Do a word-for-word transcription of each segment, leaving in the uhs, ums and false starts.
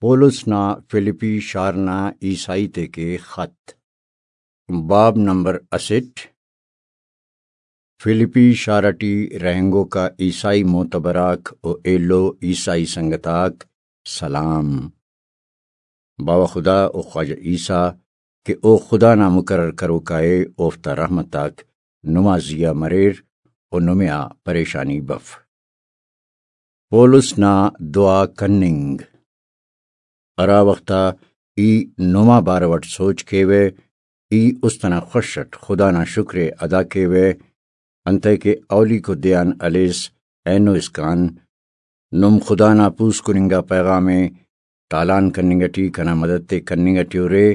پولس نا فلپی شار نا عیسائی تیکے خط۔ باب نمبر اسٹ۔ فلپی شار ٹی رہینگوکا عیسائی معتبر آک و ایلو عیسائی سنگت آک سلام۔ باوہ خدا و خواجہ عیسیٰ کہ او خدا نا مقرر کروکا ءِ، اوفتا رحمت آک نما زیہا مریر و نمے آ پریشانی بف۔ پولس نا دعا کننگ۔ ہرا وخت آ ای نما بارو اٹ سوچ کیوہ، ای است ئنا خوش اٹ خدا نا شکر ءِ ادا کیوہ، انتئے کہ اولیکو دے آن ہلیس اینو اسکان نم خدا نا پوسکن انگا پیغام ءِ تالان کننگ ٹی کنا مدد تے کننگ ٹی ارے۔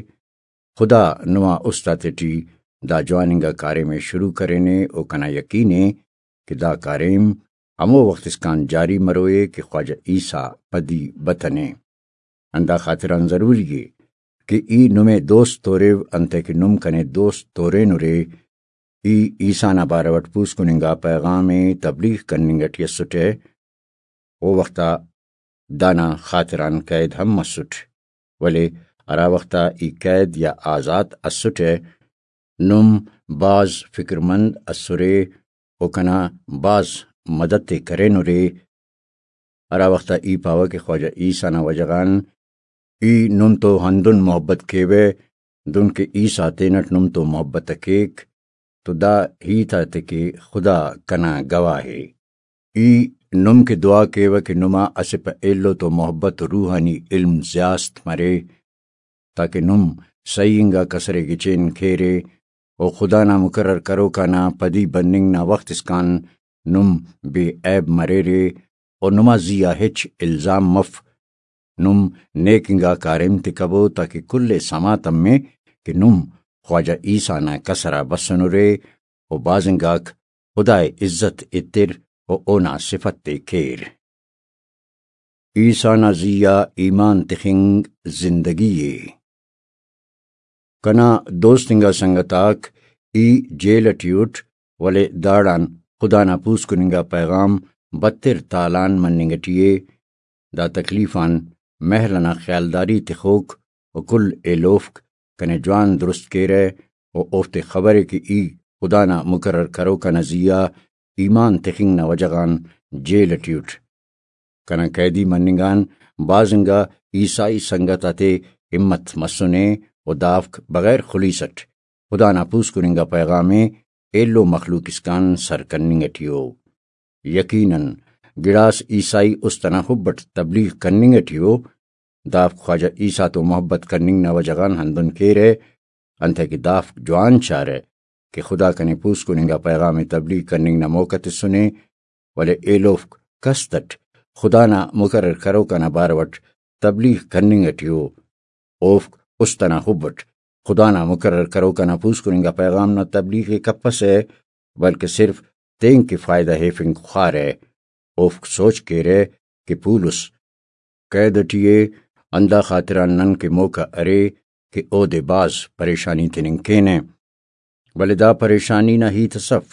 خدا نما است آتیٹی دا جوان انگا کاریم ءِ شروع کرینے و کنا یقین ءِ کہ دا کاریم ہمو وخت اسکان جاری مروئے کہ خواجہ عیسیٰ پدی بتنے۔ ہندا خاطران ضروری ءِ کہ ای نمے دوست توریو، انتئے کہ نم کنے دوست تورینرے۔ ای عیسیٰ نا بارو اٹ پوسکن انگا پیغام ءِ تبلیغ کننگ ٹی اسٹہ، او وخت آ دانا خاطران قید ہم مسٹ، ولے ہرا وخت آ ای قید یا آزات اسٹہ، نم بھاز فکرمند اسرے و کنا بھاز مدد تے کرینرے۔ ہرا وخت آ ای پاوہ کہ خواجہ عیسیٰ نا وجہ غان ای نم تو ہندن محبت کیوہ، دنکہ عیسیٰ تینٹ نم تو محبت ءِ کیک، تو دا ہیت آتے کہ خدا کنا گواہ ءِ۔ ای نم کہ دعا کیوہ کہ نما اسہ پہ ایلو تو محبت و روحانی علم زیاست مرے، تاکہ نم سہی انگا کسرے گچین کیرے و خدا نا مقرر کروکا نا پدی بننگ نا وخت اسکان نم بے عیب مریرے و نما زیہا ہچ الزام مف۔ نم نیک انگا کاریم تے کبو، تاکہ کل ءِ سما تمے کہ نم خواجہ عیسیٰ نا کسر آ بسنرے و بھاز انگاک خدا ءِ عزت ایتر و اونا صفت تے کیر۔ عیسیٰ نا زیہا ایمان تخنگ زندگی ءِ۔ کنا دوست انگا سنگت آک، ای جیل ٹی اٹ، ولے داڑان خدا نا پوسکن انگا پیغام بتر تالان مننگ ٹی ءِ۔ دا تکلیف آن محل ئنا خیالداری تخوک و کل ایلوفک کنے جوان درست کیرہ و اوفتے خبرے کہ ای خدا نا مقرر کروکا نا زیہا ایمان تخنگ نا وجہ غان جیل ٹی اٹ۔ کنا قیدی مننگ آن بھاز انگا عیسائی سنگت آتے ہمت مسنے و دافک بغیر خلیس اٹ خدا نا پوسکن انگا پیغام ءِ ایلو مخلوق اسکان سر کننگ ٹی ءُ۔ یقیناً گڑاس عیسائی است ئنا حب اٹ تبلیغ کننگ ٹی ءُ۔ دافک خواجہ عیسیٰ تو محبت کننگ نا وجہ غان ہندن کیرہ، انتئے کہ دافک جوان چارہ کہ خدا کنے پوسکن انگا پیغام ءِ تبلیغ کننگ نا موقع تسنے، ولے ایلوفک کست اٹ خدا نا مقرر کروکا نا بارو اٹ تبلیغ کننگ ٹی ءُ۔ اوفک است ئنا حب اٹ خدا نا مقرر کروکا نا پوسکن انگا پیغام نا تبلیغ ءِ کپسہ، بلکہ صرف تینکہ فائدہ ہیفنگ خوارہ۔ اوفک سوچ کیرہ کہ پولس قید ٹی ءِ، ہندا خاطران نن کہ موقع ارے کہ اودے بھاز پریشانی تننگ کینہ۔ ولے دا پریشانی نا ہیت اس اف،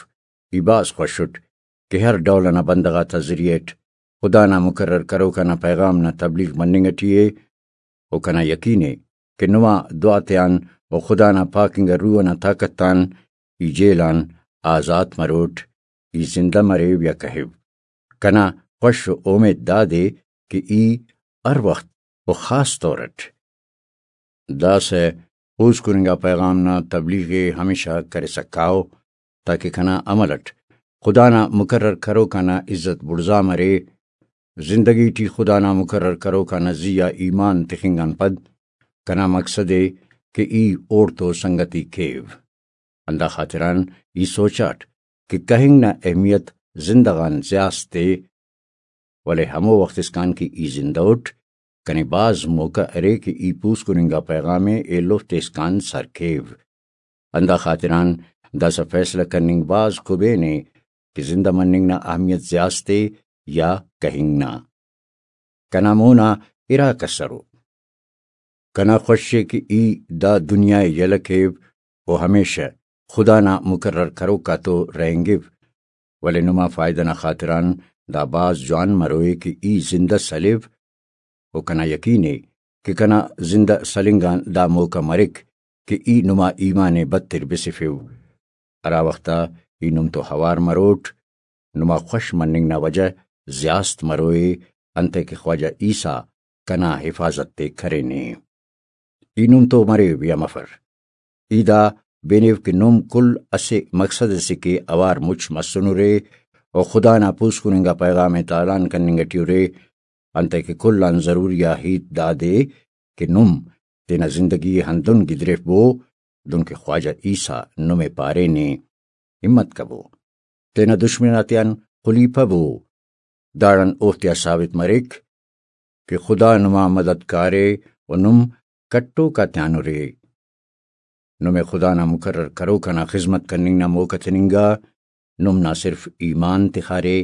ای بھاز خوش اٹ کہ ہر ڈول ئنا بندغ آتا ذریعہ اٹ خدا نا مقرر کروکا نا پیغام نا تبلیغ مننگ ٹی ءِ۔ و کنا یقین ءِ کہ نما دعا تیان و خدا نا پاک انگا روح ئنا طاقت آن ای جیل آن آزات مروٹ، ای زندہ مریو یا کہیو۔ کنا خوش و اومیت دادے کہ ای ہر وخت و خاص طور اٹ داسہ پوسکن انگا پیغام نا تبلیغ ءِ ہمیشہ کرسا کاو، تاکہ کنا عمل اٹ خدا نا مقرر کروکا نا عزت بڑزا مرے۔ زندگی ٹی خدا نا مقرر کروکا نا زی آ ایمان تخنگ آن پد کنا مقصد ءِ کہ ای اوڑتو سنگتی کیو۔ ہندا خاطران ای سوچاٹ کہ کہنگ نا اہمیت زندہ غان زیاست ءِ، ولے ہمو وخت اسکان کہ ای زندہ اٹ، کنے بھاز موقع ارے کہ ای پوسکن انگا پیغام ءِ ایلوفتے اسکان سر کیو۔ ہندا خاطران داسہ فیصلہ کننگ بھاز کبین ءِ کہ زندہ مننگ نا اہمیت زیاست ءِ یا کہنگ نا۔ کنا مونا ارا کسرو۔ کنا خوش ءِ کہ ای دا دنیا ءِ یلہ کیو و ہمیشہ خدا نا مقرر کروک آتو رہینگو، ولے نما فائدہ نا خاطران دا بھاز جوان مروئے کہ ای زندہ سلیو و کنا یقین ءِ کہ کنا زندہ سلنگ آن دا موقع مریک کہ ای نما ایمان ءِ بتر بسفیو۔ ہرا وخت آ ای نم تو ہوار مروٹ، نما خوش مننگ نا وجہ زیاست مروئے، انتئے کہ خواجہ عیسیٰ کنا حفاظت تے کرینے۔ ای نم تو مریو یا مفر، ای دا بینیو کہ نم کل اسہ مقصد اسے کہ اوار مچ مسنرے و خدا نا پوسکن انگا پیغام ءِ تالان کننگ ٹی ارے، انتئے کہ کل آن ضروری آ ہیت دادے کہ نم تینا زندگی ءِ ہندن گدریفبو دنکہ خواجہ عیسیٰ نمے پارینے۔ ہمت کبو، تینا دشمن آتیان خلیپبو، داڑان اوفتیا ثابت مریک کہ خدا نما مدد کارے و نم کٹوک آتیان ارے۔ نمے خدا نا مقرر کروک انا خذمت کننگ نا موقع تننگا۔ نم نہ صرف ایمان تخارے،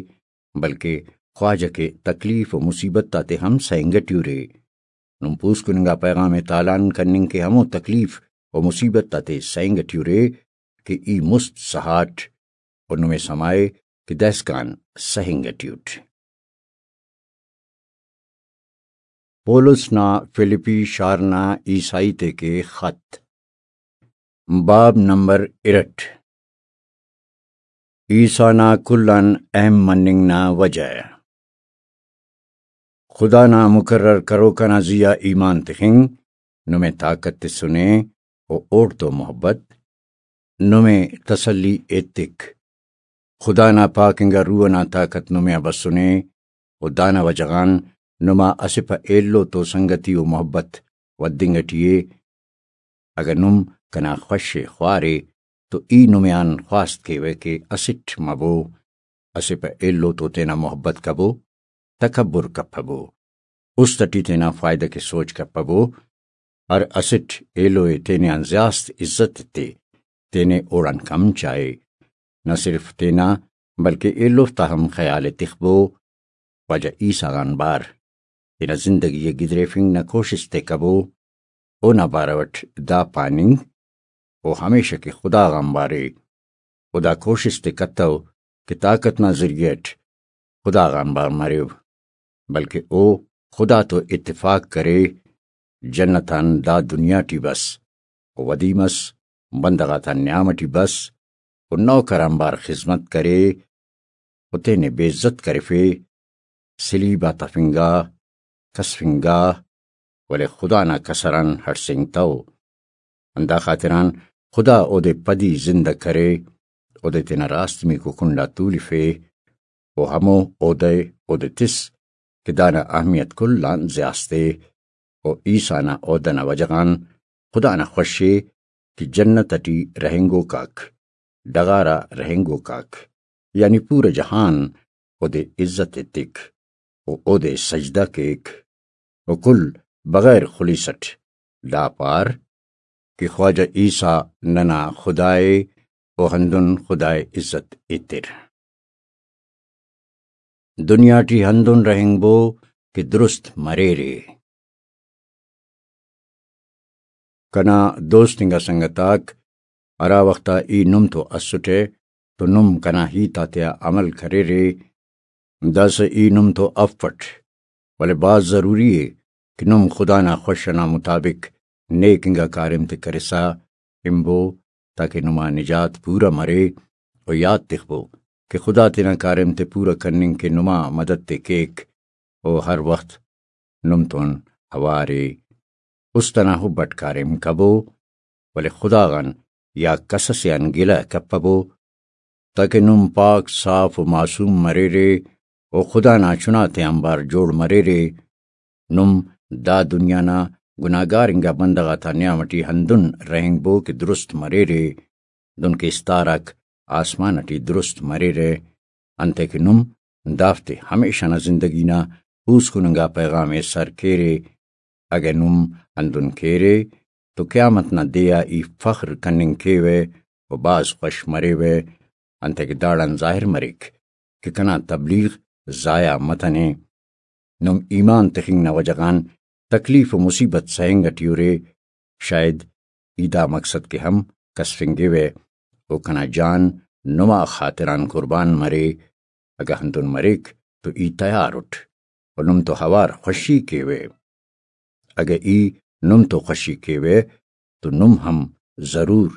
بلکہ خواجہ کے تکلیف و مصیبت آتے ہم سہنگ ٹی ارے۔ نم پوسکن انگا پیغام ءِ تالان کننگ کے ہمو تکلیف و مصیبت آتے سہنگ ٹی ارے کہ ای مست سہاٹ و نمے سمائے کہ دائسکان سہنگ ٹی اٹ۔ پولس نا فلپی شار نا عیسائی تے کے خط۔ باب نمبر ارٹھ۔ عیسیٰ نا کل آن اہم مننگ نا وجہ۔ خدا نا مقرر کروک آ نا زیہا ایمان تخنگ نمے طاقت تسنے و اوڑتو محبت نمے تسلی ایتک۔ خدا نا پاک انگا روح ئنا طاقت نمے آ بسنے و دانا وجہ غان نما اسہ پہ ایلو تو سنگتی و محبت ودنگ ٹی ءِ۔ اگہ نم کنا خوش ءِ خوارے تو ای نمے آن خواست کیوہ کہ اسٹ مبو، اسہ پہ ایلو تو تینا محبت کبو، تکبر کپبو، است ٹی تینا فائدہ کے سوچ کپبو، ہر اسٹ ایلو ءِ تینے آن زیاست عزت ایتے، تینے اوڑان کم چائے۔ نہ صرف تینا بلکہ ایلوفتا ہم خیال ءِ تخبو۔ واجہ عیسیٰ غان بار تینا زندگی ءِ گدریفنگ نا کوشست ءِ کبو۔ اونا بارو اٹ دا پاننگ او ہمیشہ کہ خدا غان بارے۔ او دا کوشست ءِ کتو کہ طاقت نا ذریعہ اٹ خدا غان بار مریو، بلکہ او خدا تو اتفاق کرے، جنت آن دا دنیا ٹی بس، و ودی مس، بندغ آتا نیام ٹی بس، و نوکر آنبار خذمت کرے، و تینے بے عزت کرفے، سلیب آ تفنگا، کسفنگا، ولے خدا نا کسر آن ہڑسینگتو۔ ہندا خاطران خدا اودے پدی زندہ کرے، اودے تینا راستمیکو کنڈا تولفے، و ہمو عہدہ ءِ اودے تس کہ دانا اہمیت کل آن زیاست ءِ۔ و عیسیٰ نا عہدہ نا وجہ غان خدا نا خوش ءِ کہ جنت ٹی رہینگوک آک، ڈغار آ رہینگوک آک، یعنی پورا جہان اودے عزت ایتک و اودے سجدہ کیک۔ و کل بغیر خلیس اٹ دا پار کہ خواجہ عیسیٰ ننا خدا ءِ و ہندن خدا ءِ عزت ایتر۔ دنیا ٹی ہندن رہینگبو کہ درست مریرے۔ کنا دوست انگا سنگت آک، ہرا وخت آ ای نم تو اسٹہ تو نم کنا ہیت آتیا عمل کریرے، داسہ ای نم تو افٹ، ولے بھاز ضروری ءِ کہ نم خدا نا خوش ئنا مطابق نیک انگا کاریم تے کرسا ہنبو، تاکہ نما نجات پورا مرے، و یات تخبو کہ خدا تینا کاریم تے پورا کننگ کہ نما مدد تے کیک، و ہر وخت نم تون اوار ءِ۔ است ئنا حب اٹ کاریم کبو، ولے خدا غان یا کس ئسے آن گلہ کپبو، تاکہ نم پاک، صاف و معصوم مریرے و خدا نا چناتے آنبار جوڑ مریرے۔ نم دا دنیا نا گناہگار انگا بندغ آتا نیام ٹی ہندن رہینگبو کہ درست مریرے، دنکہ استار آک آسمان ٹی درست مریرہ، انتئے کہ نم دافتے ہمیشہ نا زندگی نا پوسکن انگا پیغام ءِ سر کیرے۔ اگہ نم ہندن کیرے تو قیامت نا دے آ ای فخر کننگ کیوہ و بھاز خوش مریوہ، انتئے کہ داڑان ظاہر مریک کہ کنا تبلیغ ضائع متنے۔ نم ایمان تخنگ نا وجہ غان تکلیف و مصیبت سہنگ ٹی ارے، شاید ای دا مقصد کہ ہم کسفنگوہ و کنا جان نما خاطران قربان مرے۔ اگہ ہندن مریک تو ای تیار اٹ و نم تو اوار خوشی کیوہ۔ اگہ ای نم تو خوشی کیوہ تو نم ہم ضرور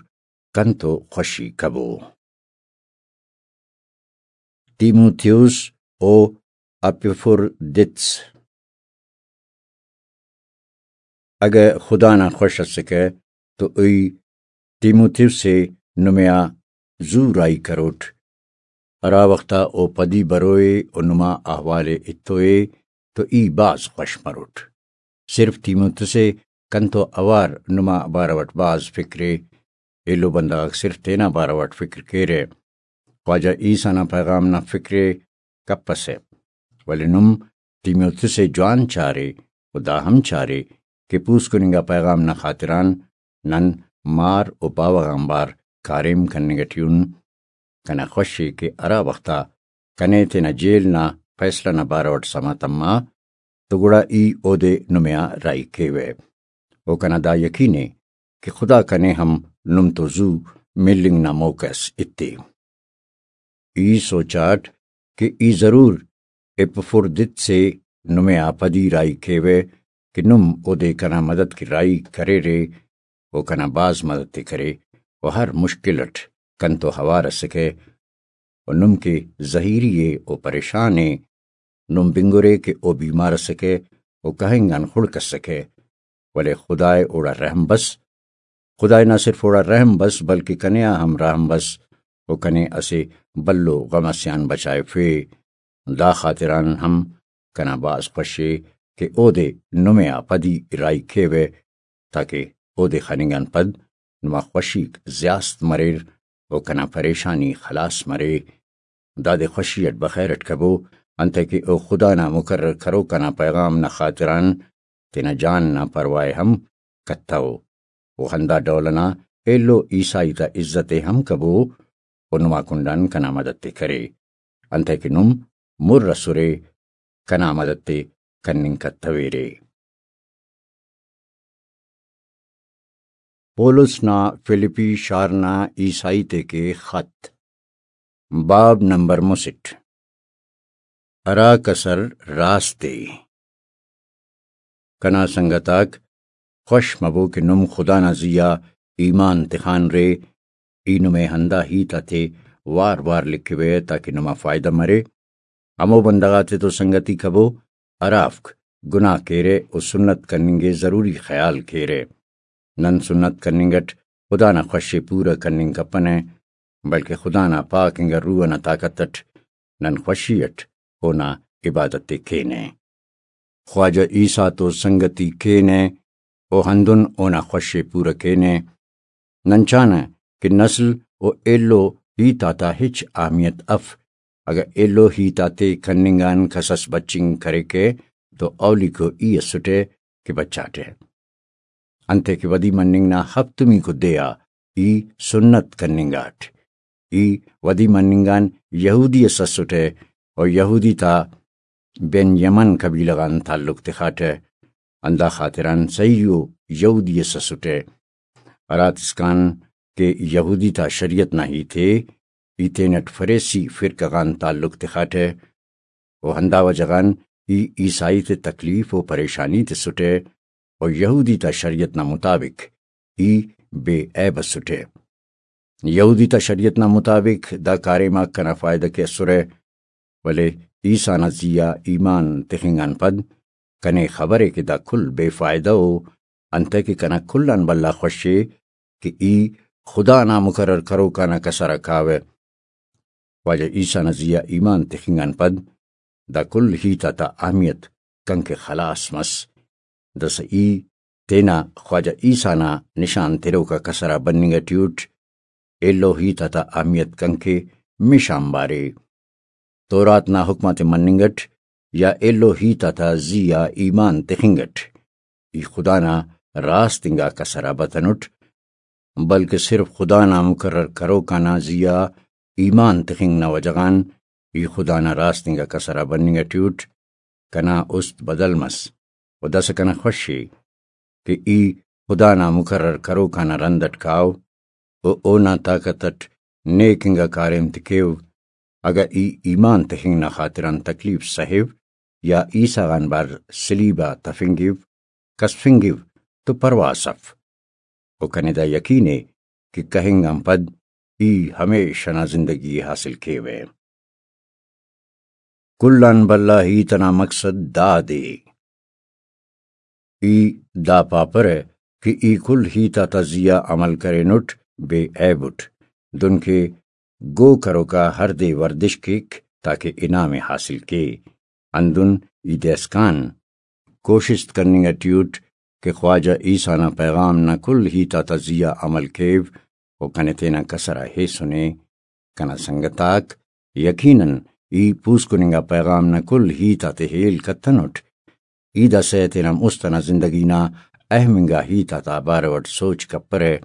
کنتو خوشی کبو۔ تیموتھیوس و اپیفردیتس۔ اگہ خدا نا خوش اسکہ تو ای تیموتھیوس ءِ نمے آ زو راہی کروٹ، ہرا وخت آ او پدی بروئے و نما احوال ءِ اتوئے تو ای بھاز خوش مروٹ۔ صرف تیموتھیوس ءِ کنتو اوار نما بارو اٹ بھاز فکر ءِ۔ ایلو بندغ آک صرف تینا بارو اٹ فکر کیرہ۔ خواجہ عیسیٰ نا پیغام نا فکر ءِ کپسہ، ولے نم تیموتھیوس ءِ جوان چارے و دا ہم چارے کہ پوسکن انگا پیغام نا خاطران نن مار و باوہ غانبار کاریم کننگ ٹی ان۔ کنا خوش ءِ کہ ہرا وخت آ کنے تینا جیل نا فیصلہ نا بارو اٹ سما تما تو گڑا ای اودے نمے آ راہی کیوہ۔ و کنا دا یقین ءِ کہ خدا کنے ہم نم تو زو ملنگ نا موقع اس ایتے۔ ای سوچاٹ کہ ای ضرور ایپفردیتس ءِ نمے آ پدی راہی کیوہ کہ نم اودے کنا مدد کہ راہی کریرے و کنا بھاز مدد ءِ کرے و ہر مشکل اٹ کنتو اوار اسکہ و نم کہ زہیری ءِ و پریشان ءِ۔ نم بنگرے کہ او بیمار اسکہ و کہنگ آن خڑک اسکہ، ولے خدائے اوڑا رحم بس۔ خدائے نہ صرف اوڑا رحم بس بلکہ کنے آ ہم رحم بس و کنے اسہ بھلو غم اسے آن بچائفے۔ دا خاطران ہم کنا بھاز خوش ءِ کہ اودے نمے آ پدی راہی کیوہ، تاکہ اودے خننگ آن پد نما خوشیک زیاست مریر و کنا پریشانی خلاص مرے۔ دادے خوشی اٹ بخیر اٹ کبو، انتئے کہ او خدا نا مقرر کروک آ نا پیغام نا خاطران تینا جان نا پرواہ ءِ ہم کتو۔ و ہندا ڈول ئنا ایلو عیسائی تا عزت ءِ ہم کبو و نما کنڈان کنا مدد ءِ کرے، انتئے کہ نم مر ئسرے کنا مدد ءِ کننگ کتویرے۔ پولس نا فلپی شار نا عیسائی تیکے خط۔ باب نمبر مسٹ۔ ہرا کسر راست ءِ۔ کنا سنگت آک، خوش مبو کہ نم خدا نا زی آ ایمان تخانرے۔ ای نمے ہندا ہیت آتے وار وار لکھوہ تاکہ نما فائدہ مرے۔ ہمو بندغ آتے تو سنگتی کبو ہرافک گناہ کیرہ و سنت کننگ ءِ ضروری خیال کیرہ۔ نن سنت کننگ اٹ خدا نا خوش ءِ پورہ کننگ کپنہ، بلکہ خدا نا پاک انگا روح ئنا طاقت اٹ نن خوشی اٹ اونا عبادت ءِ کینہ۔ خواجہ عیسیٰ تو سنگتی کینہ و ہندن اونا خوش ءِ پورہ کینہ۔ نن چانہ کہ نسل و ایلو ہیت آتا ہچ اہمیت اف۔ اگہ ایلو ہیت آتے کننگ آن کسس بچنگ کریکہ تو اولیکو ای اسٹہ کہ بچاٹہ۔ انتئے کہ ودی مننگ نا ہفتمیکو دے آ ای سنت کننگاٹ۔ ای ودی مننگ آن یہودی اس اسٹہ و یہودی تا بن یمن قبیلہ غان تعلق تخاٹہ۔ ہندا خاطران صحیح و یہودی اس اسٹہ۔ ہراتسکان کہ یہودی تا شریعت نا ہیت ءِ، ای تینٹ فریسی فرقہ غان تعلق تخاٹہ۔ و ہندا وجہ غان ای عیسائی تے تکلیف و پریشانی تسٹہ و یہودی تا شریعت نا مطابق ای بے عیب اسٹہ۔ یہودی تا شریعت نا مطابق دا کاریم آک کنا فائدہ کہ اسرہ، ولے عیسیٰ نا زی آ ایمان تخنگ آن پد کنے خبرے کہ دا کل بے فائدہ ءُ، انتئے کہ کنا کل آن بھلا خوش ءِ کہ ای خدا نا مقرر کروکا نا کسر آ کاوہ۔ خواجہ عیسیٰ نا زی آ ایمان تخنگ آن پد دا کل ہیت آتا اہمیت کنکہ خلاس مس۔ داسہ ای تینا خواجہ عیسیٰ نا نشان تروکا کسر آ بننگ ٹی اٹ، ایلو ہیت آتا اہمیت کنکہ مش آنبار ءِ۔ تورات نا حکم آتے مننگ اٹ یا ایلو ہیت آتا زی آ ایمان تخنگ اٹ ای خدا نا راست انگا کسر آ بتنٹ، بلکہ صرف خدا نا مقرر کروکا نا زی آ ایمان تخنگ نا وجہ غان ای خدا نا راست انگا کسر آ بننگ ٹی اٹ۔ کنا است بدل مس و داسہ کنا خوش ءِ کہ ای خدا نا مقرر کروکا نا رند اٹ کاو و اونا طاقت اٹ نیک انگا کاریم تے کیو۔ اگہ ای ایمان تخنگ نا خاطران تکلیف سہیو یا عیسیٰ غان بار صلیب آ تفنگو، کسفنگو تو پرواہ اف، و کنے دا یقین ءِ کہ کہنگ آن پد ای ہمیش انا زندگی ءِ حاصل کیوہ۔ کل آن بھلا ہیت انا مقصد دادے۔ ای دا پاپرہ کہ ای کل ہیت آتا زیہا عمل کرینٹ بے عیب اٹ، دنکہ گو کروکا ہر دے ورزش کیک تاکہ انعام ءِ حاصل کے۔ ہندن ای داسکان کوشست کننگ ٹی اٹ کہ خواجہ عیسیٰ نا پیغام نا کل ہیت آتا زیہا عمل کیو و کنے تینا کسر آ ہیسنے۔ کنا سنگت آک، یقیناً ای پوسکن انگا پیغام نا کل ہیت آتے ہیل کتنٹ۔ ای داسہ تینا مست انا زندگی نا اہم انگا ہیت آتا بارو اٹ سوچ کپرہ،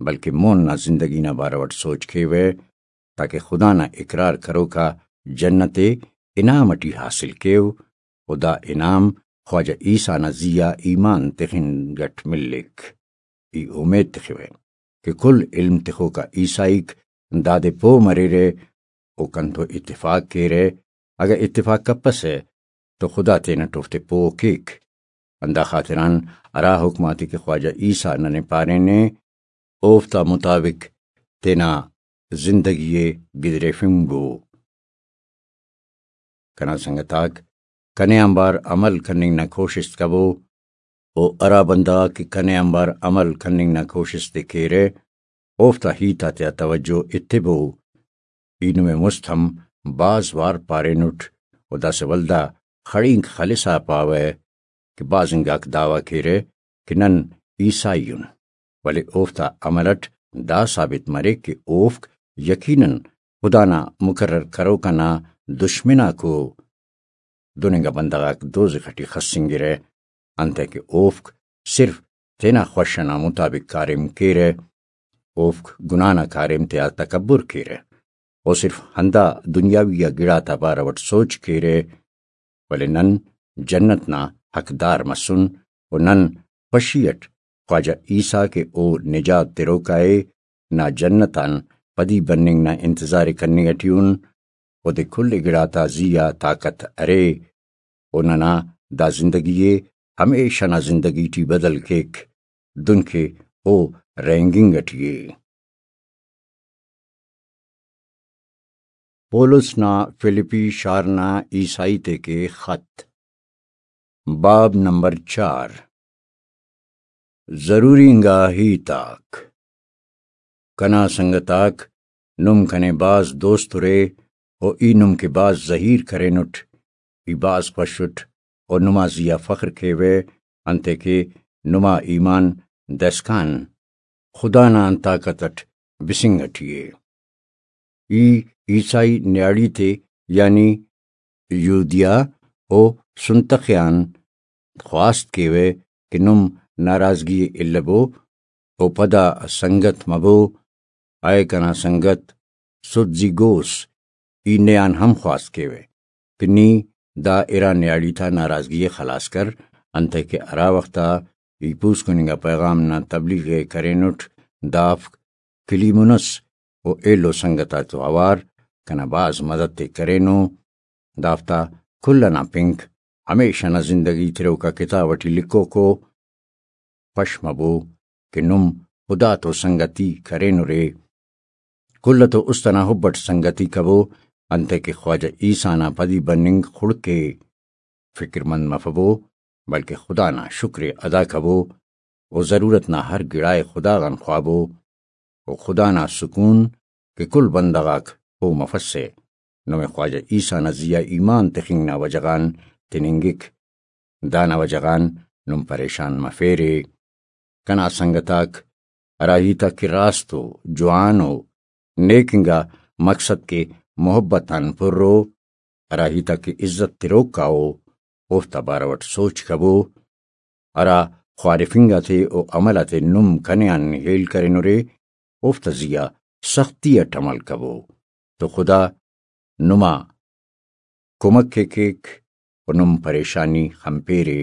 بلکہ مون نا زندگی نا بارو اٹ سوچ کیوہ، تاکہ خدا نا اقرار کروکا جنت ءِ انعام اٹی حاصل کیو، و دا انعام خواجہ عیسیٰ نا زیہا ایمان تخنگ اٹ ملک۔ ای اومیت تخوہ کہ کل علم تخوکا عیسائیک دادے پہہ مریرہ، او کنتو اتفاق کیرہ، اگہ اتفاق کپسہ تو خدا تینٹ اوفتے پہہ کیک۔ ہندا خاطران ہرا حکم آتے کہ خواجہ عیسیٰ ننے پارینے، اوفتا مطابق تینا زندگی ءِ گدریفنگو۔ کنا سنگت آک، کنے آنبار عمل کننگ نا کوشست کبو، و ہرا بندغ آک کہ کنے آنبار عمل کننگ نا کوشست ءِ کیرہ، اوفتا ہیت آتیا توجہ ایتبو۔ ای نمے مست ہم بھاز وار پارینٹ، و داسہ ولدا خڑینک خلسا پاوہ کہ بھاز انگاک دعویٰ کیرہ کہ نن عیسائی ان، ولے اوفتا عمل اٹ دا ثابت مریک کہ اوفک یقیناً خدا نا مقرر کروک انا دشمناکو۔ دن انگا بندغ آک دوزخ اٹی خسنگرہ، انتئے کہ اوفک صرف تینا خوش انا مطابق کاریم کیرہ، اوفک گناہ نا کاریم تیا تکبر کیرہ، او صرف ہندا دنیاوی آ گڑاتا بارو اٹ سوچ کیرہ، ولے نن جنت نا حقدار مسن، و نن خوشی اٹ خواجہ عیسیٰ کہ او نجات تروکا ءِ نا جنت آن پدی بننگ نا انتظار ءِ کننگ اٹی ان۔ اودے کل گڑاتا زیہا طاقت ارے، و ننا دا زندگی ءِ ہمیشہ نا زندگی ٹی بدل کیک، دنکہ او رہینگنگ اٹی ءِ۔ پولس نا فلپی شار نا عیسائی تیکے خط۔ باب نمبر چار۔ ضروری انگا ہیت آک۔ کنا سنگت آک، نم کنے بھاز دوست ارے، و ای نم کہ بھاز زہیر کرینٹ۔ ای بھاز خوش اٹ، و نما زیہا فخر کیوہ، انتئے کہ نما ایمان داسکان خدا نا طاقت اٹ بسنگ اٹی ءِ۔ ای عیسائی نیاڑی تے، یعنی یہودیہ و سنتخیان خواست کیوہ کہ نم ناراضگی ءِ البو و پدا سنگت مبو۔ اے کنا سنگت، سدزی گوس، ای نے آن ہم خواست کیوہ کہ نی دا ارا نیاڑی تا ناراضگی ءِ خلاص کر، انتئے کہ ہرا وخت آ ای پوسکن انگا پیغام نا تبلیغ ءِ کرینٹ، دافک کلیمونس و ایلو سنگت آتو اوار کنا بھاز مدد ءِ کرینو۔ دافتا کل انا پنک ہمیشہ نا زندگی تروکا کتاب اٹی لکھوکو۔ پش مبو کہ نم خدا تو سنگتی کرینرے۔ کل تو است انا حب اٹ سنگتی کبو، انتئے کہ خواجہ عیسیٰ نا پدی بننگ خڑک ءِ۔ فکر مند مفبو، بلکہ خدا نا شکر ءِ ادا کبو، و ضرورت نا ہر گڑا ءِ خدا غان خوابو، و خدا نا سکون کہ کل بندغ آک پہہ مفسہ، نمے خواجہ عیسیٰ نا زیہا ایمان تخنگ نا وجہ غان تننگک۔ دانا وجہ غان نم پریشان مفیرے۔ کنا سنگت آک، ہرا ہیت آک کہ راست و جوان و نیک انگا مقصد کہ محبت آن پر او، ہرا ہیت آک کہ عزت تروک آ او، اوفتا بارو اٹ سوچ کبو۔ ہرا خوارفنگ آتے و عمل آتے نم کنے آن ہیل کرینرے، اوفتا زیہا سختی اٹ عمل کبو، تو خدا نما کمک ءِ کیک و نم پریشانی خنپیرے۔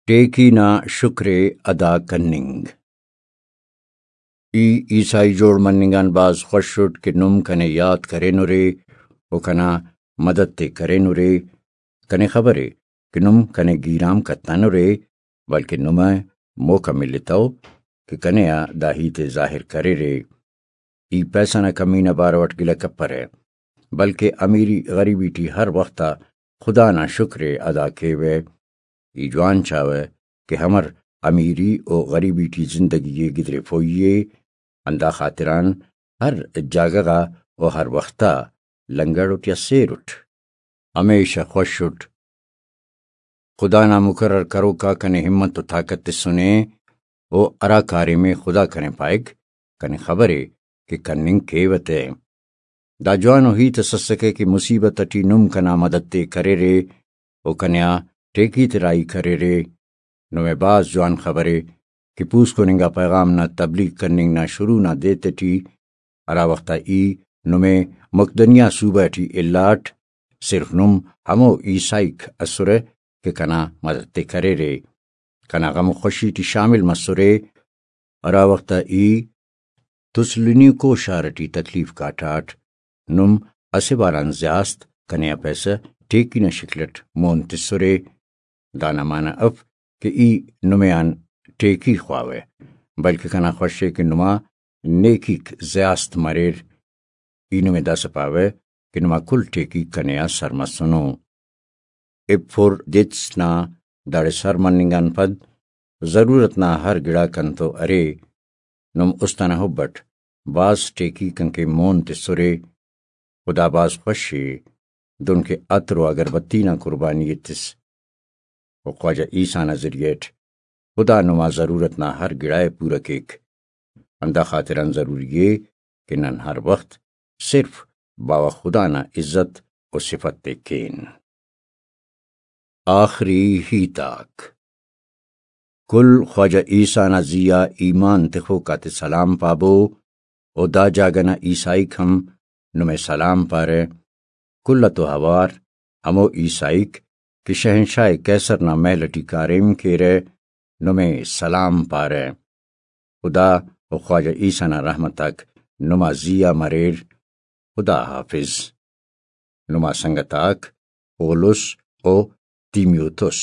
ٹیکی نا شکر ءِ ادا کننگ۔ ای عیسائی جوڑ مننگ آن بھاز خوش اٹ کہ نم کنے یات کرینرے و کنا مدد ءِ کرینرے۔ کنے خبرے، کہ نم کنے گیرام کتنرے، بلکہ نمے موقع ملتو کہ کنے آ دا ہیت ءِ ظاہر کریرے۔ ای پیسہ نا کمی نا بارو اٹ گلہ کپرہ، بلکہ امیری غریبی ٹی ہر وخت آ خدا نا شکر ءِ ادا کیوہ۔ ای جوان چاوہ کہ ہمر امیری و غریبی ٹی زندگی ءِ گدریفوئی ءِ، ہندا خاطران ہر جاگہ غا و ہر وخت آ لنگڑ و تیا سیر اٹ، ہمیشہ خوش اٹ۔ خدا نا مقرر کروک آ کنے ہمت و طاقت تسنے، و ہرا کاریم ءِ خدا کنے پائک، کنے خبر ءِ کہ کننگ کیوہ تہ۔ دا جوانو ہیت اس اسکہ کہ مصیبت ٹی نم کنا مدد تے کریرے و کنے آ ٹیکی تے راہی کریرے۔ نمے بھاز جوان خبرے کہ پوسکن انگا پیغام نا تبلیغ کننگ نا شروع نا دے تیٹی، ہرا وخت آ ای نمے مقدنیہ صوبہ ٹی الاٹ، صرف نم ہمو عیسائیک اسرہ کہ کنا مدد تے کریرے، کنا غم و خوشی ٹی شامل مسرے۔ ہرا وخت آ ای تسلونیکو شار ٹی تکلیف کاٹاٹ، نم اسہ بار آن زیاست کنے آ پیسہ ٹیکی نا شکل اٹ مون تسرے۔ دانا معنہ اف کہ ای نمے آن ٹیکی خواوہ، بلکہ کنا خوش ءِ کہ نما نیکیک زیاست مریر۔ ای نمے داسہ پاوہ کہ نما کل ٹیکی کنے آ سر مسنو۔ ایپفوردیتس نا داڑے سر مننگ آن پد ضرورت نا ہر گڑا کنتو ارے۔ نم است انا حب اٹ بھاز ٹیکی کنکے مون تسرے۔ خدا بھاز خوش ءِ، دنکہ عطر و اگربتی نا قربانی ءِ تس۔ و خواجہ عیسیٰ نا ذریعہ اٹ خدا نما ضرورت نا ہر گڑا ءِ پورہ کیک۔ ہندا خاطران ضروری ءِ کہ نن ہر وخت صرف باوہ خدا نا عزت و صفت تے کین۔ آخری ہیت آک۔ کل خواجہ عیسیٰ نا زی آ ایمان تخوک آتے سلام پابو، و دا جاگہ نا عیسائیک ہم نمے سلام پارہ۔ کل اتو اوار ہمو عیسائیک کہ شہنشاہ قیصر نا محل ٹی کاریم کیرہ، نمے سلام پارہ۔ خدا و خواجہ عیسیٰ نا رحمت آک نما زی آ مریر۔ خدا حافظ۔ نما سنگت آک پولس و تیمیوتس۔